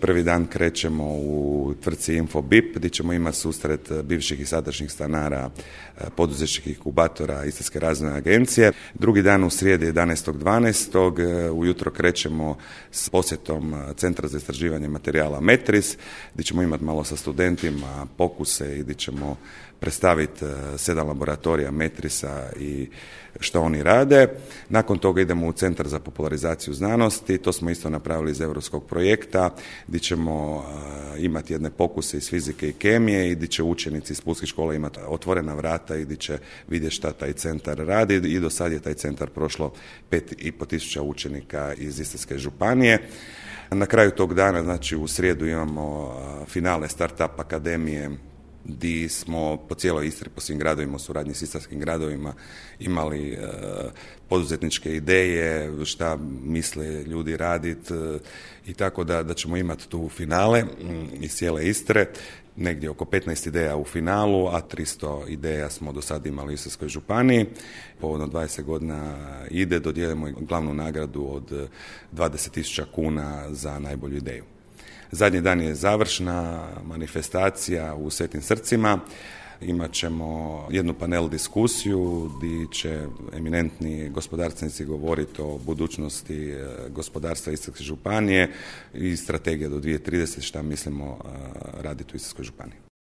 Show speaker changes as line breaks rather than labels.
Prvi dan krećemo u tvrtci Infobip gdje ćemo imati susret bivših i sadašnjih stanara poduzetničkih inkubatora Istarske razvojne agencije. Drugi dan u srijedi 11.12. ujutro krećemo s posjetom Centra za istraživanje materijala Metris gdje ćemo imati malo sa studentima pokuse i gdje ćemo predstaviti 7 laboratorija Metrisa i što oni rade. Nakon toga idemo u Centar za popularizaciju znanosti, to smo isto napravili iz europskog projekta gdje ćemo imati jedne pokuse iz fizike i kemije i gdje će učenici iz Pulskih škola imati otvorena vrata i gdje će vidjeti šta taj centar radi i do sad je taj centar prošlo 5.500 učenika iz Istarske županije. Na kraju tog dana, znači u srijedu imamo finale Startup akademije gdje smo po cijeloj Istri, po svim gradovima u suradnji s istarskim gradovima imali poduzetničke ideje, šta misle ljudi raditi i tako da ćemo imati tu finale iz cijele Istre, negdje oko 15 ideja u finalu, a 300 ideja smo do sada imali u Istarskoj županiji. Povodom 20 godina ide, dodijelimo glavnu nagradu od 20.000 kuna za najbolju ideju. Zadnji dan je završna manifestacija u Svetim srcima. Imat ćemo jednu panel diskusiju gdje će eminentni gospodarstvenici govoriti o budućnosti gospodarstva Istarske županije i strategija do 2030 šta mislimo raditi u Istarskoj županiji.